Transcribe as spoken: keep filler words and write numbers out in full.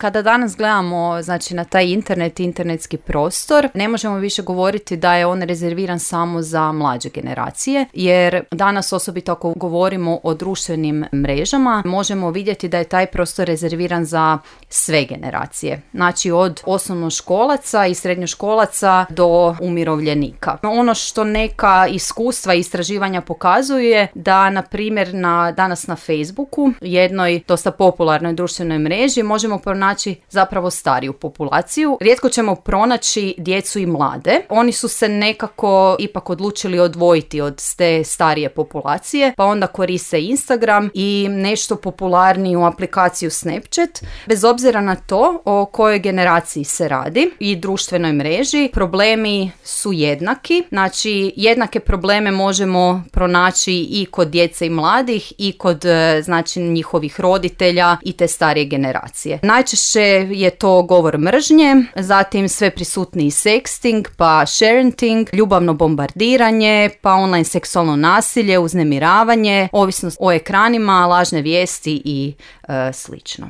Kada danas gledamo, znači, na taj internet i internetski prostor, ne možemo više govoriti da je on rezerviran samo za mlađe generacije, jer danas, osobito ako govorimo o društvenim mrežama, možemo vidjeti da je taj prostor rezerviran za sve generacije. Znači od osnovnoškolaca i srednjoškolaca do umirovljenika. Ono što neka iskustva i istraživanja pokazuje da, na primjer, na, danas na Facebooku, jednoj dosta popularnoj društvenoj mreži, možemo pronaći zapravo stariju populaciju. Rijetko ćemo pronaći djecu i mlade. Oni su se nekako ipak odlučili odvojiti od te starije populacije, pa onda koriste Instagram i nešto popularniju aplikaciju Snapchat. Bez obzira na to o kojoj generaciji se radi i društvenoj mreži, problemi su jednaki. Znači, jednake probleme možemo pronaći i kod djece i mladih i kod, znači, njihovih roditelja i te starije generacije. Najčešće je to govor mržnje, zatim sve prisutniji sexting, pa sharenting, ljubavno bombardiranje, pa online seksualno nasilje, uznemiravanje, ovisnost o ekranima, lažne vijesti i e, slično.